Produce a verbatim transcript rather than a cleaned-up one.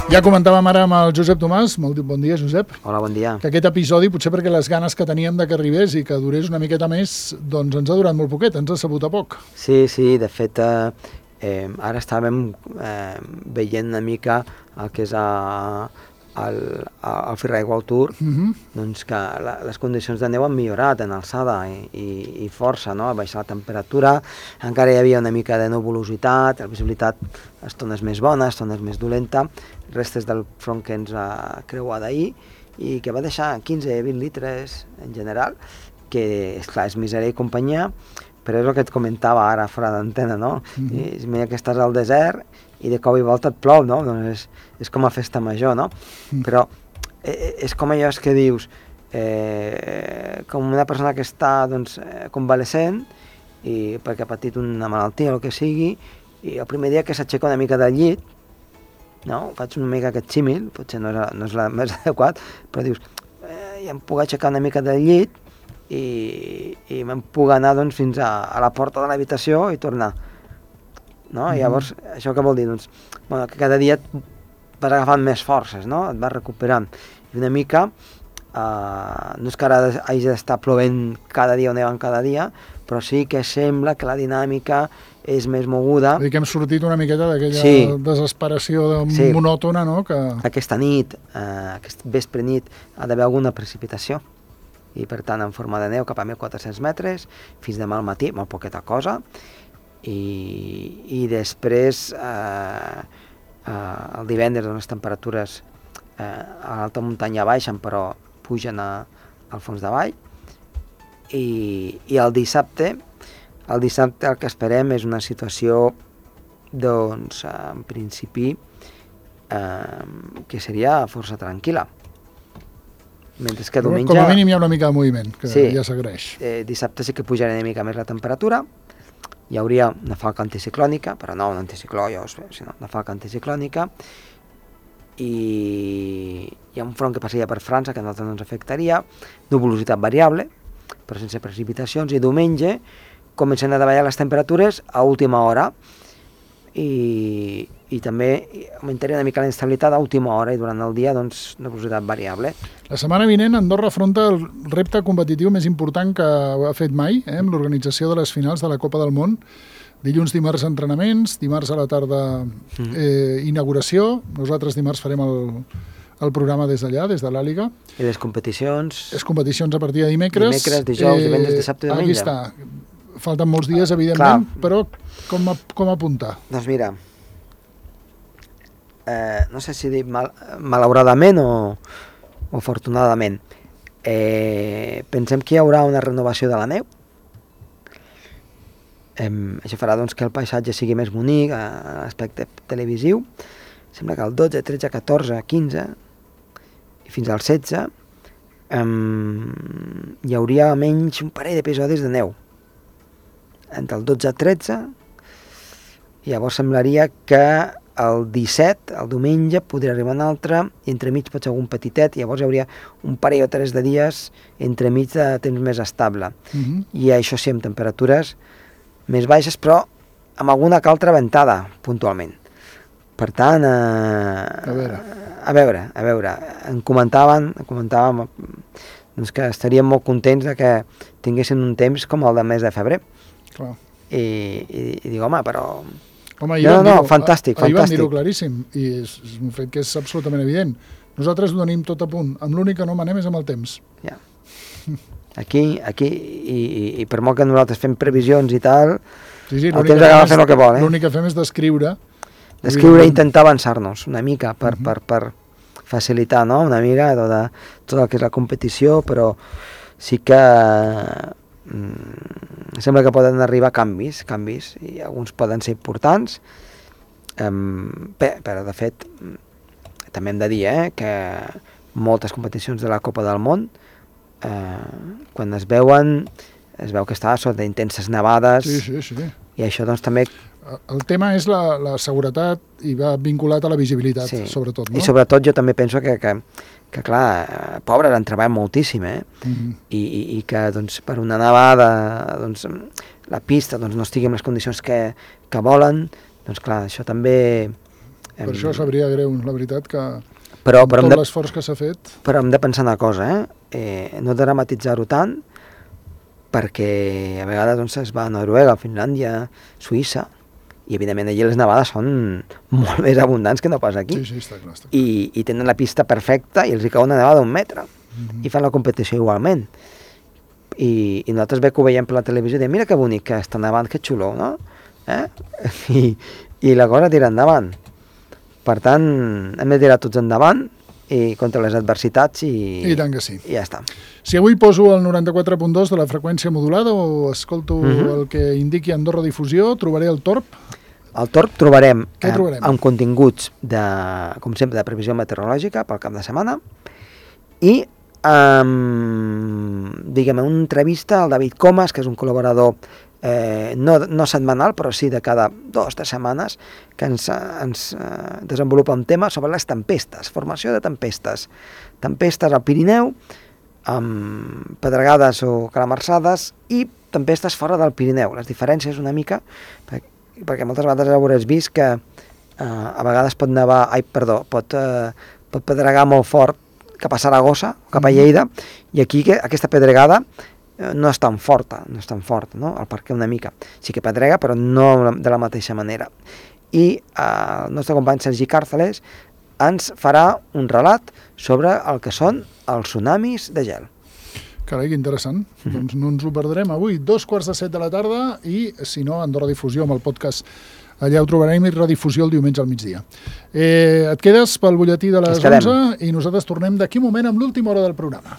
Ja comentàvem ara amb el Josep Tomàs, molt bon dia, Josep. Hola, bon dia. Que aquest episodi, potser perquè les ganes que teníem de que arribés i que durés una miqueta més, doncs ens ha durat molt poquet, ens ha sabut a poc. Sí, sí, de fet, eh, eh, ara estàvem eh, veient una mica el que és a, el, el Freeride World Tour, uh -huh. doncs que la, les condicions de neu han millorat en alçada i, i, i força, no? Ha baixat la temperatura, encara hi havia una mica de nuvolositat, la visibilitat estones més bona, estones més dolenta, restes del front que ens ha creuat ahir i que va deixar quinze a vint litres en general, que esclar, és misèria i companyia, però és el que et comentava ara fora d'antena, no? Mm -hmm. Mira que estàs al desert i de cop i volta et plou, no? Doncs és, és com a festa major, no? Mm. Però eh, és com allò que dius, eh, com una persona que està doncs, convalescent i perquè ha patit una malaltia o el que sigui, i el primer dia que s'aixeca una mica del llit, no? Faig una mica aquest símil, potser no és, no és la més adequat, però dius, eh, ja em puc aixecar una mica del llit i, i me'n puc anar doncs, fins a, a la porta de l'habitació i tornar. No? Mm. Llavors, això què vol dir? Doncs, bueno, que cada dia et vas agafant més forces, no? Et vas recuperant. I una mica, eh, no és que ara hagi d'estar plovent cada dia o nevant cada dia, però sí que sembla que la dinàmica és més moguda. Vull dir que hem sortit una miqueta d'aquella sí. desesperació de sí. monòtona, no? Que... Aquesta nit, eh, aquest vespre nit, ha d'haver alguna precipitació. I per tant en forma de neu cap a mil quatre-cents metres, fins demà al matí, molt poqueta cosa, i, i després eh, eh, el divendres les temperatures eh, a l'alta muntanya baixen però pugen a, al fons de vall, i, i el dissabte el dissabte el que esperem és una situació doncs en principi eh, que seria força tranquil·la. Mentre que diumenge... Com a mínim hi ha una mica de moviment, que sí, ja s'agraeix. Eh, dissabte sí que pujarà una mica més la temperatura, hi hauria una falca anticiclònica, però no un anticicló, ja us veig, sinó una falca anticiclònica, i hi ha un front que passaria per França, que a nosaltres no ens afectaria, nuvolositat variable, però sense precipitacions, i diumenge comencen a davallar les temperatures a última hora, i, i també augmentaria una mica la instabilitat a última hora, i durant el dia, doncs, nuvolositat variable. La setmana vinent Andorra afronta el repte competitiu més important que ha fet mai, eh, amb l'organització de les finals de la Copa del Món. Dilluns, dimarts, entrenaments, dimarts a la tarda eh, inauguració, nosaltres dimarts farem el, el programa des d'allà, des de l'Àliga. I les competicions? Les competicions a partir de dimecres. Dimecres, dijous, eh, divendres, dissabte i diumenge. Aquí està. Falten molts dies, evidentment, clar, però com, a, com apuntar? Doncs mira, eh, no sé si dir mal, malauradament o, o afortunadament, eh, pensem que hi haurà una renovació de la neu. Eh, això farà doncs, que el paisatge sigui més bonic, a l'aspecte televisiu. Sembla que el dotze, tretze, catorze, quinze i fins al setze eh, hi hauria almenys un parell d'episodis de neu. Entre el dotze i tretze, llavors semblaria que el disset, el diumenge, podria arribar un altre, i entremig pot ser algun petitet, i llavors hi hauria un parell o tres de dies entremig de temps més estable. Uh-huh. I això sí, amb temperatures més baixes, però amb alguna que altra ventada, puntualment. Per tant, eh, a veure, a veure, a veure, em comentaven, em comentàvem doncs que estaríem molt contents de que tinguessin un temps com el del mes de febrer. Clar. I, i, i dic, home, però... Home, no, no, no, fantàstic, fantàstic. Ahir vam dir-ho claríssim, i és, és un fet que és absolutament evident. Nosaltres ho tenim tot a punt, amb l'únic que no manem és amb el temps. Ja. Aquí, aquí, i, i, i per molt que nosaltres fem previsions i tal, sí, sí, el temps acaba fent el que vol, eh? L'únic que fem és descriure... Descriure i intentar avançar-nos una mica per, uh-huh. per, per facilitar, no?, una mica tot, de, tot el que és la competició, però sí que... Mm, sembla que poden arribar canvis, canvis, i alguns poden ser importants, um, bé, però de fet també hem de dir eh, que moltes competicions de la Copa del Món eh, quan es veuen es veu que està sota intenses nevades, sí, sí, sí. I això doncs també... El tema és la, la seguretat i va vinculat a la visibilitat, sí. Sobretot, no? I sobretot jo també penso que, que, que clar, pobres han treballat moltíssim, eh? Uh-huh. I, i, i que doncs, per una nevada doncs, la pista doncs, no estigui en les condicions que, que volen, doncs clar, això també Per això sabria greu, la veritat, que però, amb però tot de, l'esforç que s'ha fet... Però hem de pensar una cosa, eh? eh no dramatitzar-ho tant, perquè a vegades doncs, es va a Noruega, Finlàndia, Suïssa, i evidentment allí les nevades són molt més abundants que no pas aquí. Sí, sí, està clar. Està clar. I, I tenen la pista perfecta i els hi cau una nevada d'un metre. Mm-hmm. I fan la competició igualment. I, I nosaltres bé que ho veiem per la televisió i diem, mira que bonic que està nevant, que xulo, no? Eh? I, I la cosa tira endavant. Per tant, hem de tirar tots endavant i contra les adversitats i, I tant que sí. I ja està. Si avui poso el noranta-quatre punt dos de la freqüència modulada o escolto mm-hmm. el que indiqui Andorra Difusió, trobaré el Torb? Al Torb trobarem, Què trobarem? Eh, amb continguts, de, com sempre, de previsió meteorològica pel cap de setmana i um, diguem, una entrevista al David Comas, que és un col·laborador eh, no, no setmanal, però sí de cada dues o tres setmanes, que ens, ens eh, desenvolupa un tema sobre les tempestes, formació de tempestes. Tempestes al Pirineu, amb pedregades o calamarsades, i tempestes fora del Pirineu. Les diferències una mica, perquè, perquè moltes vegades hauràs vist que eh, a vegades pot nevar, ai, perdó, pot, eh, pot pedregar molt fort cap a Saragossa, cap a Lleida, i aquí que, aquesta pedregada eh, no és tan forta, no és tan forta, no? El perquè una mica. Sí que pedrega, però no de la mateixa manera. I eh, el nostre company Sergi Càrceles ens farà un relat sobre el que són els tsunamis de gel. Carai, que interessant. Mm-hmm. Doncs no ens ho perdrem avui. Dos quarts de set de la tarda i, si no, Andorra Difusió amb el podcast. Allà ho trobarem i redifusió el diumenge al migdia. Eh, et quedes pel butlletí de les onze i nosaltres tornem d'aquí un moment amb l'última hora del programa.